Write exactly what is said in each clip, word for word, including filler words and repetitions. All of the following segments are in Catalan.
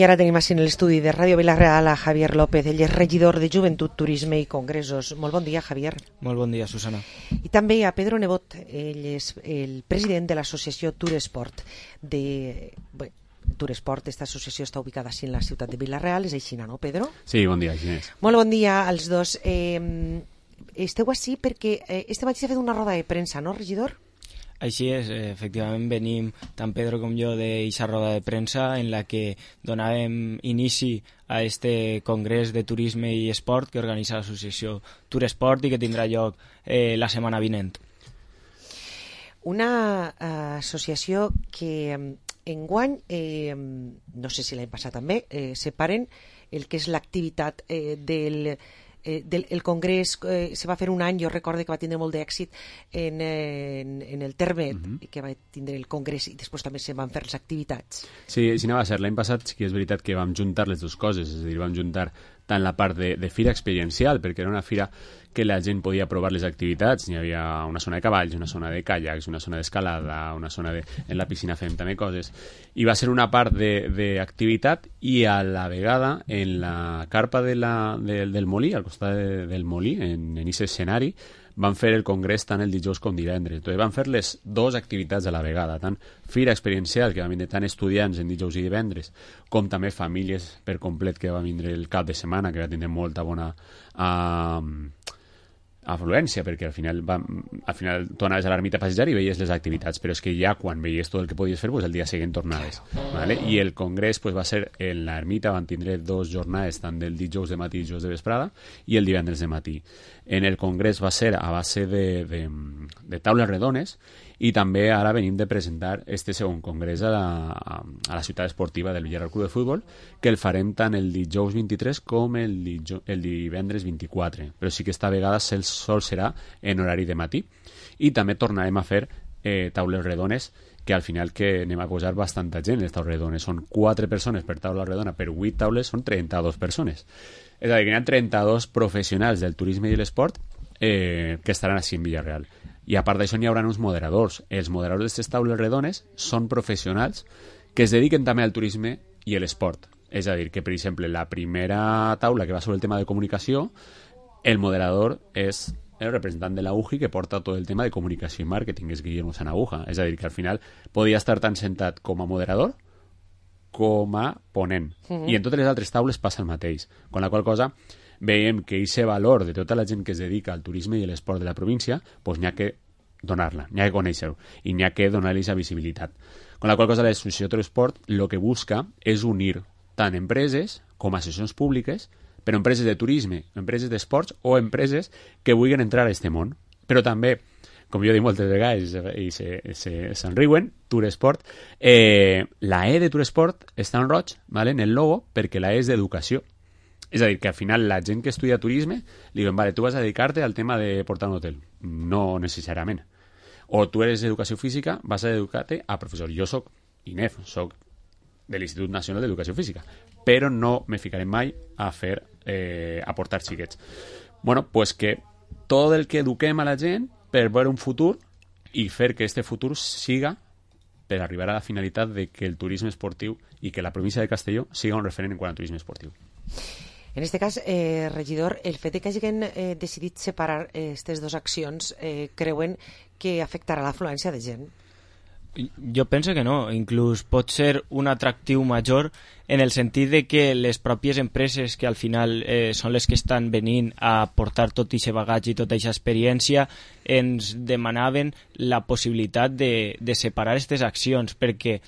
I ara tenim així en l'estudi de Ràdio Vila-real a Javier López, ell és regidor de Joventut, Turisme i Congressos. Molt bon dia, Javier. Molt bon dia, Susana. I també a Pedro Nebot, ell és el president de l'associació Turesport. De... Bé, Turesport, aquesta associació està ubicada així en la ciutat de Vila-real, és així, no, Pedro? Sí, bon dia, així és. Molt bon dia als dos. Eh, esteu així perquè eh, este matí s'ha fet una roda de premsa, no, regidor? Així és, efectivament venim tant Pedro com jo d'aquesta roda de premsa en la que donàvem inici a este congrés de turisme i esport que organitza l'associació Turesport i que tindrà lloc eh, la setmana vinent. Una uh, associació que enguany, eh, no sé si l'any passat també, eh, separen el que és l'activitat eh, del... Eh, del, el congrés eh, se va fer un any, jo recordo que va tindre molt d'èxit en, en, en el Termet, uh-huh. que va tindre el congrés i després també se van fer les activitats. Sí, sí, no va ser. L'any passat sí que és veritat que vam juntar les dues coses, és a dir, vam juntar tant la part de, de fira experiencial, perquè era una fira que la gent podia provar les activitats, hi havia una zona de cavalls, una zona de caiacs, una zona d'escalada, una zona de... en la piscina fem també coses, i va ser una part d'activitat i a la vegada en la carpa de la, de, del Molí, al costat de, del Molí, en aquest escenari, van fer el congrés tant el dijous com divendres. Entonces van fer les dues activitats a la vegada, tant fira experiencial, que van vindre tant estudiants en dijous i divendres, com també famílies per complet que va vindre el cap de setmana, que va tindre molta bona uh, afluència, perquè al final, va, al final tu anaves a l'ermita a passejar i veies les activitats, però és que ja quan veies tot el que podies fer, pues el dia següent tornaves. ¿Vale? I el congrés pues, va ser en l'ermita, van tindre dos jornades, tant del dijous de matí i dijous de vesprada, i el divendres de matí. En el congrés va ser a base de, de, de taules redones, i també ara venim de presentar este segon congrés a la, a la ciutat esportiva del Villarreal Club de Futbol, que el farem tant el dijous vint-i-tres com el, dijous, el divendres vint-i-quatre, però sí que esta vegada el sol serà en horari de matí, i també tornarem a fer eh, taules redones, que al final que anem a posar bastanta gent en les taules redones. Són quatre persones per taula redona, per vuit taules són trenta-dues persones. És a dir, que hi ha trenta-dos professionals del turisme i l'esport eh, que estaran així en Villarreal. I a part d'això n'hi haurà uns moderadors. Els moderadors d'aquestes taules redones són professionals que es dediquen també al turisme i a l'esport. És a dir, que per exemple la primera taula que va sobre el tema de comunicació, el moderador és el representant de la U J I que porta tot el tema de comunicació i màrqueting, és Guillermo Sanabuja. És a dir, que al final podia estar tan sentat com a moderador com a ponent. Uh-huh. I en totes les altres taules passa el mateix. Con la qual cosa veiem que aquest valor de tota la gent que es dedica al turisme i a l'esport de la província, pues n'hi ha que donar-la, n'hi ha que conèixer-ho i n'hi ha que donar-li aquesta visibilitat. Con la qual cosa l'associació Turesport el que busca és unir tant empreses com associacions públiques, però empreses de turisme, empreses d'esports o empreses que vulguin entrar a aquest món. Però també, com jo dic moltes vegades i se'n riuen, Turesport, eh, la E de Turesport està en roig, ¿vale? En el logo, perquè la E és d'educació. És a dir, que al final la gent que estudia turisme li diuen, vale, tu vas a dedicar-te al tema de portar un hotel. No necessàriament. O tu eres d'educació física, vas a dedicar-te a professor. Jo soc I N E F, soc de l'Institut Nacional d'Educació Física, però no me ficaré mai a fer, eh, a portar xiquets. Bueno, pues que tot el que eduquem a la gent per veure un futur i fer que este futur siga per arribar a la finalitat de que el turisme esportiu i que la província de Castelló siga un referent en quant a turisme esportiu. En aquest cas, eh, regidor, el fet que hagin eh, decidit separar aquestes eh, dues accions eh, creuen que afectarà l'afluència de gent? Jo penso que no, inclús pot ser un atractiu major en el sentit de que les pròpies empreses que al final eh, són les que estan venint a portar tot aquest bagatge i tota aquesta experiència ens demanaven la possibilitat de, de separar aquestes accions perquè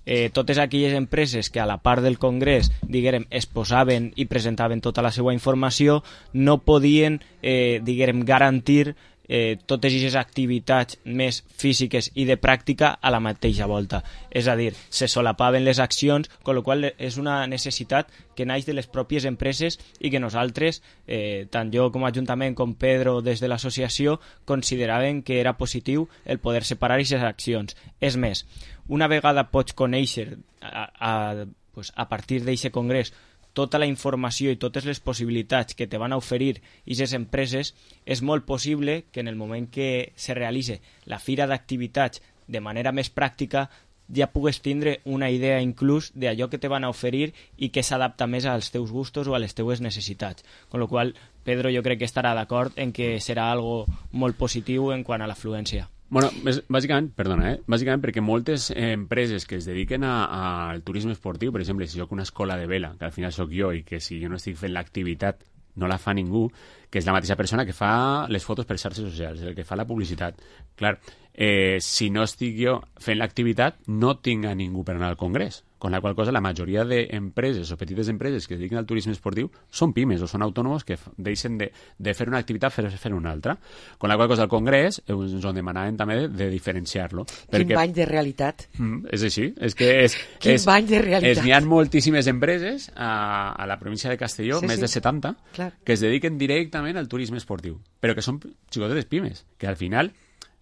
eh, totes aquelles empreses que a la part del congrés diguem, exposaven i presentaven tota la seva informació no podien eh, diguem, garantir Eh, totes aquestes activitats més físiques i de pràctica a la mateixa volta. És a dir, se solapaven les accions, amb la qual és una necessitat que naix de les pròpies empreses i que nosaltres, eh, tant jo com a Ajuntament com Pedro des de l'associació, consideraven que era positiu el poder separar aquestes accions. És més, una vegada pots conèixer a, a, pues, a partir d'aquest congrés tota la informació i totes les possibilitats que te van a oferir aquestes empreses, és molt possible que en el moment que se realitzi la fira d'activitats de manera més pràctica ja pugues tindre una idea inclús d'allò que te van a oferir i que s'adapta més als teus gustos o a les teues necessitats. Con lo qual, Pedro jo crec que estarà d'acord en que serà algo molt positiu en quant a l'afluència. Bueno, bàsicament, perdona, eh? bàsicament perquè moltes empreses que es dediquen a, a, al turisme esportiu, per exemple, si jo que una escola de vela, que al final sóc jo i que si jo no estic fent l'activitat no la fa ningú, que és la mateixa persona que fa les fotos per xarxes socials, el que fa la publicitat. Clar, eh, si no estic jo fent l'activitat, no tinc a ningú per anar al congrés. Con la qual cosa, la majoria d'empreses o petites empreses que es dediquen al turisme esportiu són pimes o són autònoms que deixen de, de fer una activitat per fer una altra. Con la qual cosa, al congrés ens ho demanaven també de, de diferenciar-lo. Quin perquè... bany de realitat. Mm, és així. És que és, Quin és, bany de realitat. N'hi ha moltíssimes empreses a, a la província de Castelló, sí, més sí. de setanta, clar, que es dediquen directament al turisme esportiu, però que són xicotetes pimes, que al final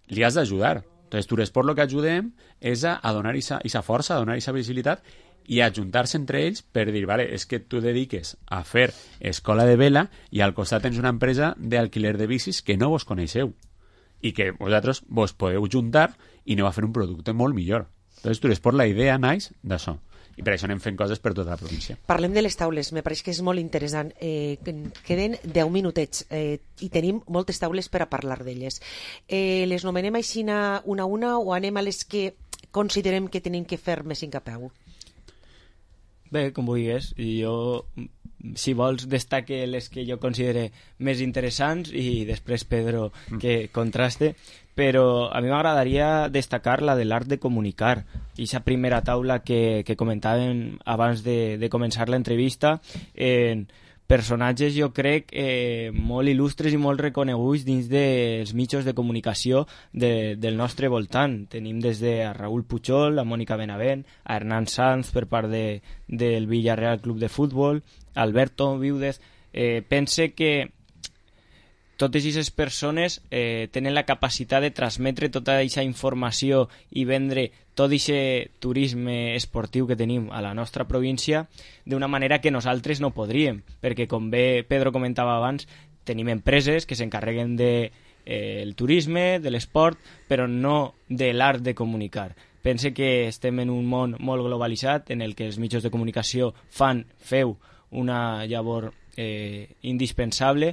li has d'ajudar. Entonces, Turesport el que ajudem és a, a donar aquesta força, a donar aquesta visibilitat i a ajuntar-se entre ells per dir, vale, és que tu dediques a fer escola de vela i al costat tens una empresa d'alquiler de bicis que no vos coneixeu i que vosaltres vos podeu juntar i aneu a fer un producte molt millor. Entonces, Turesport, la idea naix d'això. I per això anem fent coses per tota la província. Parlem de les taules, me pareix que és molt interessant. Eh, queden deu minutets eh, i tenim moltes taules per a parlar d'elles. Eh, les nomenem així una a una o anem a les que considerem que tenim que fer més incapeu? Bé, com vulguis. Jo, si vols, destaque les que jo considere més interessants i després Pedro que contraste. Però a mi m'agradaria destacar la de l'art de comunicar. I aquesta primera taula que, que comentàvem abans de, de començar l'entrevista, en personatges, jo crec, eh, molt il·lustres i molt reconeguts dins dels mitjans de comunicació de, del nostre voltant. Tenim des de a Raúl Puchol, a Mònica Benavent, a Hernán Sanz per part de, del Villarreal Club de Futbol, Alberto Viudez. Eh, pense que totes aquestes persones eh, tenen la capacitat de transmetre tota aquesta informació i vendre tot aquest turisme esportiu que tenim a la nostra província d'una manera que nosaltres no podríem, perquè com bé Pedro comentava abans, tenim empreses que s'encarreguen de eh, el turisme, de l'esport, però no de l'art de comunicar. Pense que estem en un món molt globalitzat en el que els mitjans de comunicació fan, feu, una llavor eh, indispensable.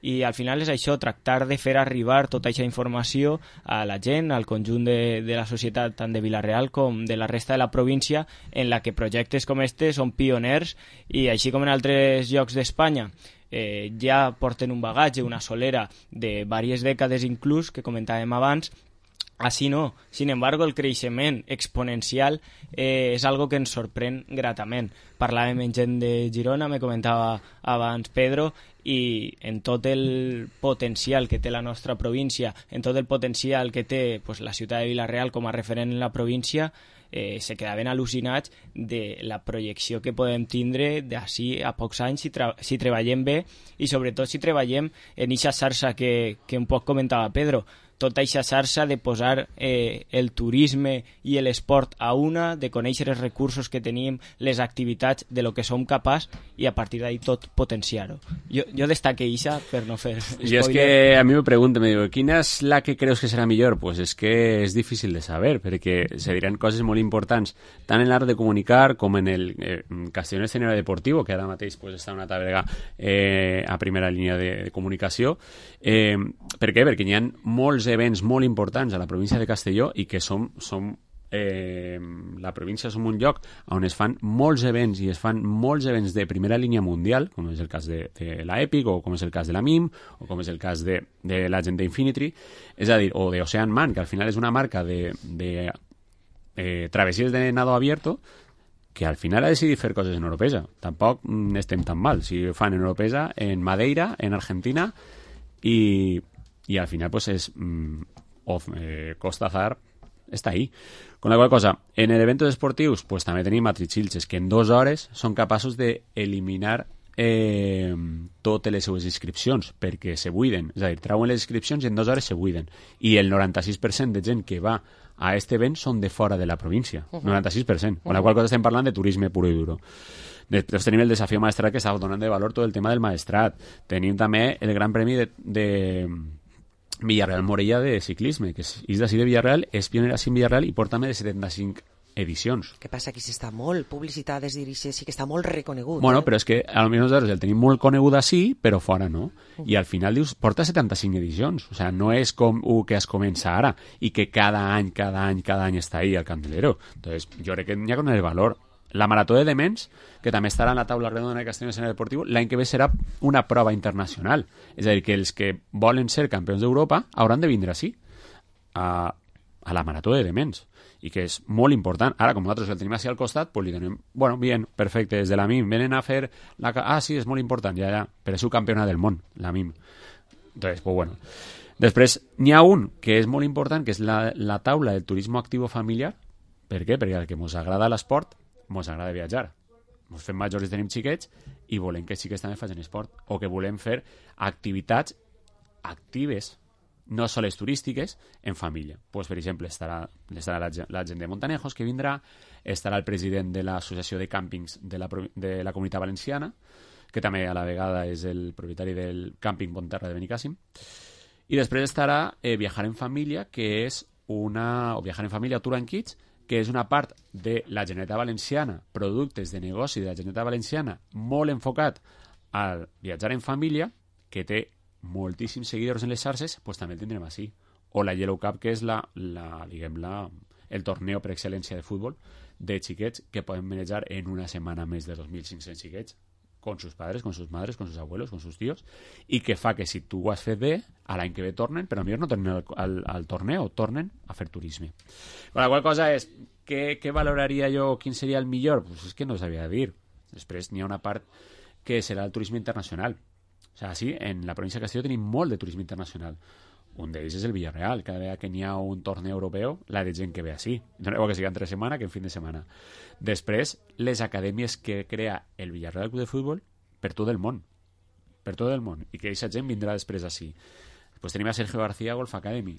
I al final és això, tractar de fer arribar tota aquesta informació a la gent, al conjunt de, de la societat, tant de Vila-real com de la resta de la província, en la que projectes com este són pioners i així com en altres llocs d'Espanya eh, ja porten un bagatge, una solera de diverses dècades inclús, que comentàvem abans. Així no. Sin embargo, el creixement exponencial eh, és algo que ens sorprèn gratament. Parlàvem amb gent de Girona, me comentava abans Pedro, i en tot el potencial que té la nostra província, en tot el potencial que té pues, la ciutat de Vila-real com a referent en la província, eh, se quedaven al·lucinats de la projecció que podem tindre d'ací a pocs anys si, tra si treballem bé i sobretot si treballem en aquesta xarxa que, que un poc comentava Pedro, tota aquesta xarxa de posar eh, el turisme i l'esport a una, de conèixer els recursos que tenim, les activitats, de lo que som capaç i a partir d'ahí tot potenciar-ho. Jo, jo destaque això per no fer spoiler. Jo és que a mi me pregunto, me digo, quina és la que creus que serà millor? Pues és que és difícil de saber, perquè se diran coses molt importants, tant en l'art de comunicar com en el eh, Castellón Escenario Deportivo, que ara mateix pues, està una tàbrega eh, a primera línia de, de comunicació. Eh, per què? Perquè hi ha molts events molt importants a la província de Castelló i que som, som eh, la província som un lloc on es fan molts events i es fan molts events de primera línia mundial, com és el cas de, de la Epic o com és el cas de la M I M o com és el cas de, de la gent d'Infinity, és a dir, o de Ocean Man, que al final és una marca de, de eh, travessies de nado abierto que al final ha decidit fer coses en Oropesa. Tampoc mm, estem tan mal. Si fan en Oropesa, en Madeira, en Argentina i y al final pues es mmm, of, eh, Costa Azar està ahí. Con la qual cosa, en el eventos esportius pues també tenim a Trichilches que en dues hores són capaços d'eliminar eh, totes les seues inscripcions perquè se buiden, és a dir, trauen les inscripcions i en dues hores se buiden. I el noranta-sis per cent de gent que va a este event són de fora de la província. Uh-huh. noranta-sis per cent. Con la qual cosa estem parlant de turisme puro i duro. Després tenim el desafío maestrat que està donant de valor tot el tema del maestrat. Tenim també el gran premi de, de Villarreal Morella de ciclisme, que és d'ací de Villarreal, és pionera així en Villarreal i porta més de setanta-cinc edicions. Què passa? Aquí s'està molt publicitat des d'Irixe, sí que està molt reconegut. Bueno, eh? però és que a lo millor nosaltres el tenim molt conegut així, però fora no. Uh -huh. I al final dius, porta setanta-cinc edicions. O sea, no és com un que es comença ara i que cada any, cada any, cada any està ahí al candelero. Entonces, jo crec que n'hi ha con el valor. La Marató de Dements, que també estarà en la taula redonda de Castelló Escenari Deportiu, l'any que ve serà una prova internacional. És a dir, que els que volen ser campions d'Europa hauran de vindre així, a, a la Marató de Dements, i que és molt important. Ara, com nosaltres el tenim així al costat, pues li donem, bueno, bien, perfecte, des de la M I M, venen a fer la... Ah, sí, és molt important, ja, ja, però és subcampiona del món, la M I M. Entonces, pues bueno. Després, n'hi ha un que és molt important, que és la, la taula del turisme actiu familiar. Per què? Perquè al que ens agrada l'esport, ens agrada viatjar. Ens fem majors i tenim xiquets i volem que xiquets també facin esport, o que volem fer activitats actives, no soles turístiques, en família. Pues, per exemple, estarà, estarà la, la gent de Montanejos, que vindrà, estarà el president de l'Associació de Càmpings de la, de la Comunitat Valenciana, que també a la vegada és el propietari del càmping Bonterra de Benicàssim, i després estarà eh, Viajar en Família, que és una... o Viajar en Família Tour and Kids, que és una part de la Generalitat Valenciana, productes de negoci de la Generalitat Valenciana, molt enfocat al viatjar en família, que té moltíssims seguidors en les xarxes, pues també el tindrem així. O la Yellow Cup, que és la, la, diguem, la, el torneo per excel·lència de futbol de xiquets que poden manejar en una setmana més de dos mil cinc-cents xiquets, con sus padres, con sus madres, con sus abuelos, con sus tíos, i que fa que si tu ho has fet bé, a l'any que ve tornen, però millor no tornen al, al, al torneo, tornen a fer turisme. La qual cosa és, què, què valoraria jo, quin seria el millor? Pues és que no sabia dir. Després n'hi ha una part que serà el turisme internacional. O sigui, sí, en la província de Castelló tenim molt de turisme internacional. Un d'ells és el Villarreal. Cada vegada que n'hi ha un torneo europeu, la de gent que ve així. No igual que sigui entre setmana que en fin de setmana. Després, les acadèmies que crea el Villarreal Club de Futbol per tot el món. Per tot el món. I que aquesta gent vindrà després així. Després tenim a Sergio García Golf Academy.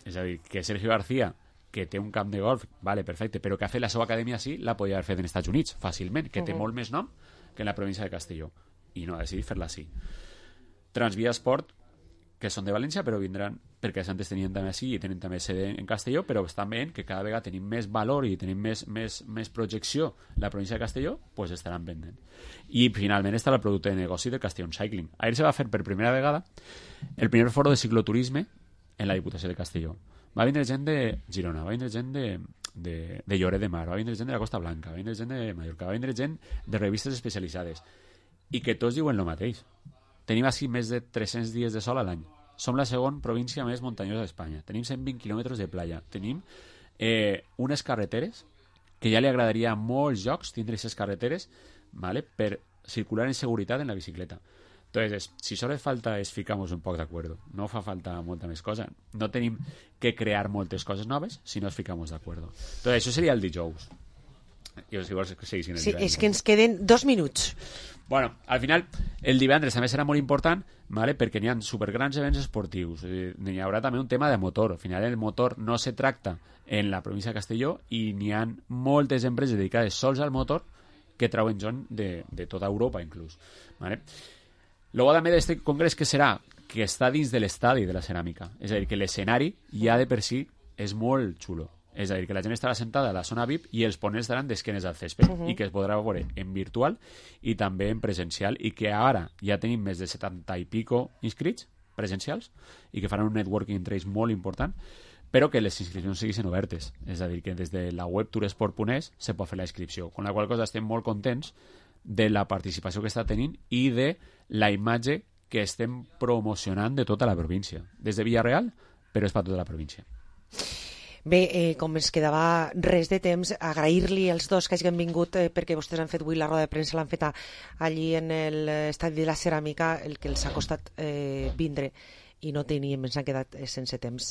És a dir, que Sergio García, que té un camp de golf, vale, perfecte, però que ha fet la seva acadèmia així, la podia haver fet en Estats Units, fàcilment, que té uh-huh. molt més nom que en la província de Castelló. I no ha decidit fer-la així. Transvia Esport, que són de València, però vindran, perquè antes tenien també així i tenen també sede en Castelló, però estan veient que cada vegada tenim més valor i tenim més, més, més projecció la província de Castelló, pues estaran vendent. I finalment està el producte de negoci de Castellón Cycling. Ahir se va fer per primera vegada el primer foro de cicloturisme en la Diputació de Castelló. Va vindre gent de Girona, va vindre gent de, de, de Lloret de Mar, va vindre gent de la Costa Blanca, va vindre gent de Mallorca, va vindre gent de revistes especialitzades, i que tots diuen el mateix. Tenim així més de tres-cents dies de sol a l'any. Som la segona província més muntanyosa d'Espanya. Tenim cent vint quilòmetres de playa. Tenim eh, unes carreteres que ja li agradaria a molts llocs tindre aquestes carreteres, ¿vale?, per circular en seguretat en la bicicleta. Entonces, si solo falta es ficar-nos un poc d'acord. No fa falta molta més cosa. No tenim que crear moltes coses noves, sinó es ficar-nos d'acord. Entonces, això seria el dijous. Jo, si vols que seguissin el sí, divendres. És que ens queden dos minuts. Bueno, al final, el divendres també serà molt important, ¿vale?, perquè n'hi ha supergrans events esportius. Eh, n'hi haurà també un tema de motor. Al final, el motor no se tracta en la província de Castelló i n'hi ha moltes empreses dedicades sols al motor que trauen gent de, de tota Europa, inclús. ¿Vale? Luego també d'aquest congrés que serà que està dins de l'estadi de la ceràmica. És a dir, que l'escenari ja de per si és molt xulo. És a dir, que la gent estarà sentada a la zona V I P i els ponents estaran d'esquenes al césped, uh-huh. i que es podrà veure en virtual i també en presencial, i que ara ja tenim més de setanta i pico inscrits presencials i que faran un networking entre ells molt important, però que les inscripcions siguin obertes. És a dir, que des de la web touresport punt es se pot fer la inscripció, con la qual cosa estem molt contents de la participació que està tenint i de la imatge que estem promocionant de tota la província. Des de Villarreal, però és per tota la província. Bé, eh, com ens quedava res de temps, agrair-li als dos que hagin vingut, eh, perquè vostès han fet avui la roda de premsa, l'han fet a, allí en l'estadi de la ceràmica, el que els ha costat eh, vindre, i no teníem, ens han quedat eh, sense temps.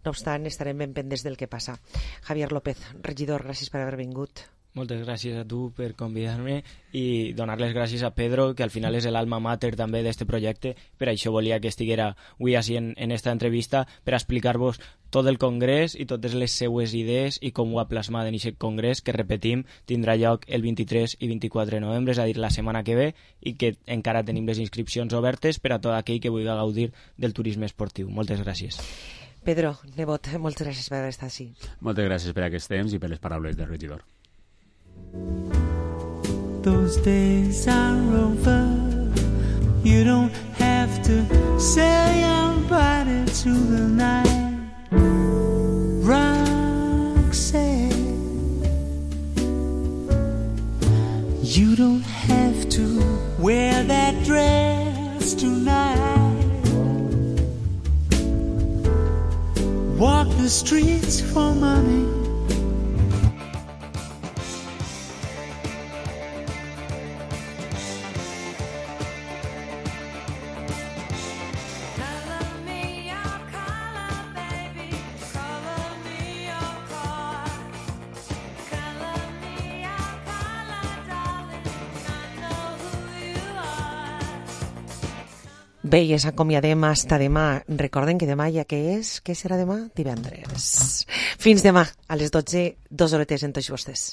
No obstant, estarem ben pendents del que passa. Javier López, regidor, gràcies per haver vingut. Moltes gràcies a tu per convidar-me i donar les gràcies a Pedro, que al final és l'alma mater també d'aquest projecte. Per això volia que estiguera avui així en, en esta entrevista, per explicar-vos tot el congrés i totes les seues idees i com ho ha plasmat en aquest congrés, que repetim, tindrà lloc el vint-i-tres i vint-i-quatre de novembre, és a dir, la setmana que ve, i que encara tenim les inscripcions obertes per a tot aquell que vulgui gaudir del turisme esportiu. Moltes gràcies. Pedro, nebot, moltes gràcies per haver estat així. Moltes gràcies per aquest temps i per les paraules del regidor. Those days are over. You don't have to sell your body to the night. Roxanne, you don't have to wear that dress tonight. Walk the streets for money. Bé, i ens acomiadem hasta demà. Recorden que demà ja què és? Què serà demà? Divendres. Fins demà, a les dotze, dos horetes en tots vostès.